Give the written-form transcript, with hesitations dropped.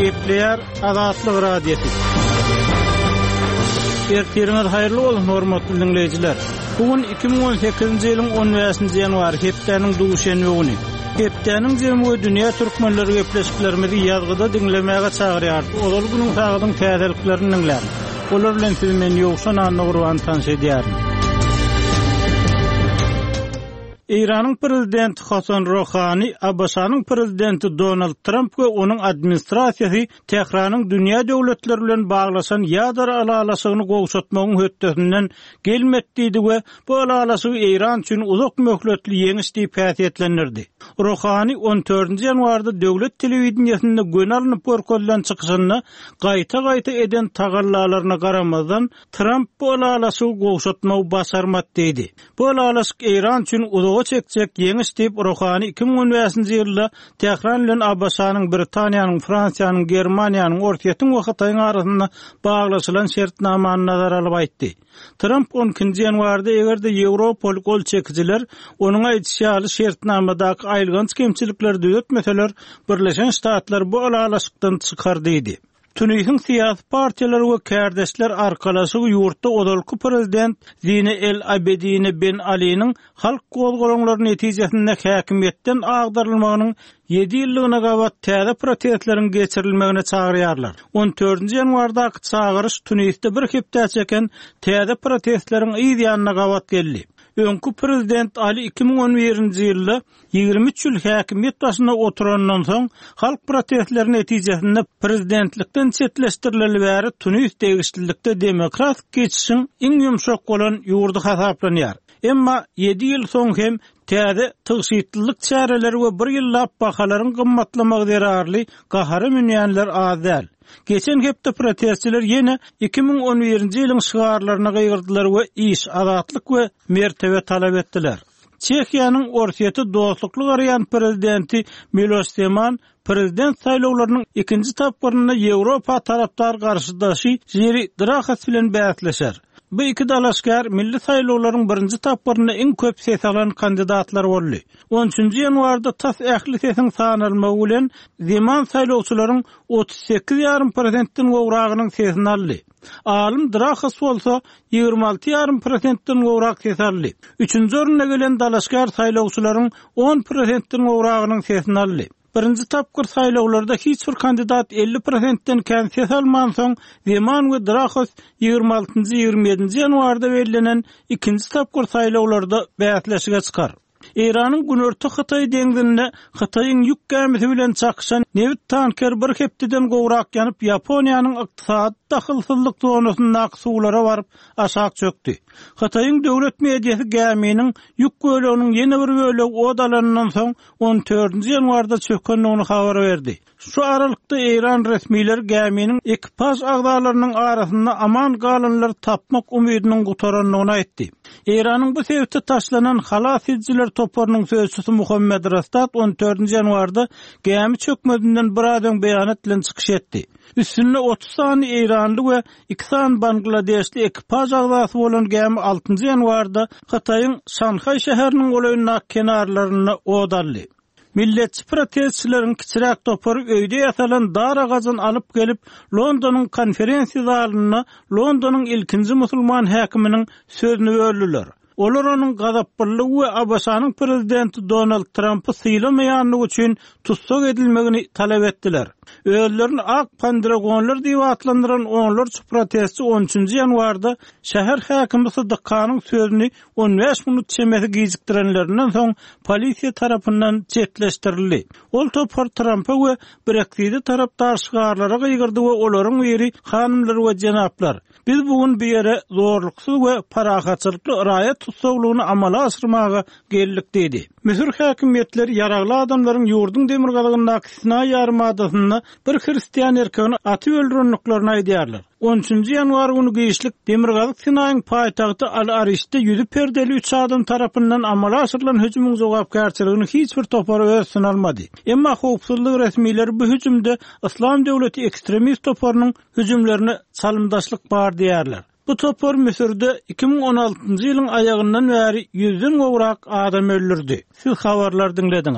Gepleýär Azatlyk Radiosy. Ertiriňiz haýyrly bolsun, hormatly diňleýjiler! Bu gün 2018-nji ýylyň 15-nji ýanwary, hepdäniň duşenbe güni. Hepdäniň jemi we dünýä türkmenleri gepleşiklerimizi ýazgyda diňlemäge çagyrýarys. Ozal günüň sagadyň täzeliklerini diňläň. Olar bilen sizi men Ýowşan Annagurban tanyş edýärin. Eýranyň prezidenti Hasan Rohani, ABŞ-nyň prezidenti Donald Tramp we onuň administrasiýasy Tähranyň dünýä döwletleri bilen baglaşan ýadro ylalaşygyny gowşatmagyň hötdesinden gelmedi diýdi we bu ylalaşygy Eýran üçin uzak möhletli ýeňiş diýip häsiýetlendirdi. Rohani on dördünji ýanwarda döwlet telewideniýesinde göni alnyp görkezilen çykyşynda gaýta-gaýta eden tagallalaryna garamazdan, Tramp bu ylalaşygy gowşatmagy başarmady diýdi. Bu ylalaşyk Eýran üçin uzaga çekjek ýeňiş diýip, Rohani 2015-nji ýylda Tähran bilen ABŞ-nyň, Britaniýanyň, Fransiýanyň, Germaniýanyň, Orsýetiň we Hytaýyň arasynda baglaşylan şertnamany nazara alyp aýtdy. Tramp on ikinji ýanwarda eger-de ýewropaly gol çekijiler onuň aýdyşy ýaly şertnamadaky aýylganç kemçilikleri düzetmeseler, Birleşen Ştatlar bu ylalaşykdan çykar diýdi. Tunisiň syýasy partiýalary we kärdeşler arkalaşygy ýurtda ozalky prezident Zine El Abedine Ben Aliniň halk gozgalaňlary netijesinde häkimiýetden agdarylmagynyň ýedi ýyllygyna gabat täze protestleriň geçirilmegine çagyrýarlar. On dördünji ýanwardaky çagyryş Tunisde bir hepdä çeken täze protestleriň yz ýanyna gabat geldi. Öňki prezident Ali 2011-nji ýylda 23 ýyl häkimiýet başynda oturandan soň, halk protestleri netijesinde prezidentlikden çetleşdirileli bäri Tunis degişlilikde demokratik geçişiň iň ýumşak bolan ýurdy hasaplanýar. Emma ýedi ýyl soň hem täze tygşytlylyk çäreleri we bir ýyllap bahalaryň gymmatlamagy zerarly gahara münýänler az däl. Geçen hepde protestçiler ýene 2011-nji ýylyň şygarlaryna gygyrdylar we iş, azatlyk we mertebe talap etdiler. Çehiýanyň Orsýete dostlukly garaýan prezidenti Miloş Zeman prezident saýlawlarynyň ikinji tapgyrynda Ýewropa tarapdar garşydaşy Jiri Drahas bilen bäsleşer. Bu iki dalaşgär milli saýlawlaryň birinji tapgyrynda iň köp ses alan kandidatlar boldy. On üçünji ýanwarda tas ähli sesiň sanalmagy bilen Zeman saýlawçylaryň 38 ýarym prosentden gowragynyň sesini aldy. Alym Drahas bolsa 26 ýarym prosentden gowrak ses aldy. Üçünji orunda gelen dalaşgär saýlawçylaryň on prosentden gowragynyň sesini aldy. Birinji tapgyr saýlawlarda hiç bir kandidat 50 prosentden kän ses almansoň, Zeman we Drahos ýigrimi altynjy, ýigrimi ýedinji ýanwarda bellenen ikinji tapgyr saýlawlarda bäsleşige çykar. Eýranyň Günorta Hytaý deňzinde Hytaýyň ýük gämisi bilen çakyşan nebit tankeri bir hepdeden gowrak ýanyp, Ýaponiýanyň ykdysady dahylsyzlyk zonasyndaky suwlara baryp aşak çökdi. Hytaýyň döwlet mediasy gäminiň ýük böleginiň ýene bir bölegi ot alanyndan soň on dördünji ýanwarda çökendigini habar berdi. Şu aralykda eýran resmileri gäminiň ekipaž agzalarynyň arasynda aman galanlary tapmak umydynyň gutarandygyny aýtdy. Eýranyň bu sebite taşlanan halas edijiler toparynyň sözçüsi Muhammed Rastat on dördünji ýanwarda gämi çökmezinden biraz öň beýanat bilen çykyş etdi. Üstünde 30 sany eýranly we iki sany bangladeşli ekipaž agzasy bolan gämi altynjy ýanwarda Hytaýyň Şanhaý şäheriniň golaýyndaky kenarlarynda ot aldy. Milletçi protestçileriň kiçiräk topary öýde ýasalan dar agajyny alyp gelip, Londonyň konferensiýa zalynda Londonyň ilkinji musulman häkiminiň sözüni böldüler. Olar onuň gazaplylygy we ABŞ-nyň prezidenti Donald Trampy sylamaýanlygy üçin tussag edilmegini talap etdiler. Özlerini ak pandragonlar diýip atlandyran onlarça protestçi on üçünji ýanwarda şäher häkimi Sydyk Hanyň sözüni 15 minut çemesi gijikdirenlerinden soň polisiýa tarapyndan çetleşdirildi. Ol topar Trampa we Brekside tarapdar şygarlara gygyrdy we olaryň biri Hanymlar we jenaplar, biz bu gün bu ýere zorluksyz we parahatçylykly raýat tussaglygyny amala aşyrmaga geldik diýdi. Müsür häkimiýetleri ýaragly adamlaryň ýurduň demirgazygyndaky Sinaý ýarymadasynda bir hristian erkegini atyp öldürendiklerini aýdýarlar. On üçünji ýanwar güni giçlik Demirgazyk Sinaýyň paýtagty Al-Arişde ýüzi perdeli üç adam tarapyndan amala aşyrylan hüjümiň jogapkärçiligini hiç bir topar öz üstüne almady. Emma howpsuzlyk resmileri bu hüjümde Yslam döwleti ekstremist toparynyň hüjümlerine çalymdaşlyk bar diýýärler. Bu topar Müsürde 2016-njy ýylyň aýagyndan bäri ýüzden gowrak adam öldürdi. Siz habarlary diňlediňiz.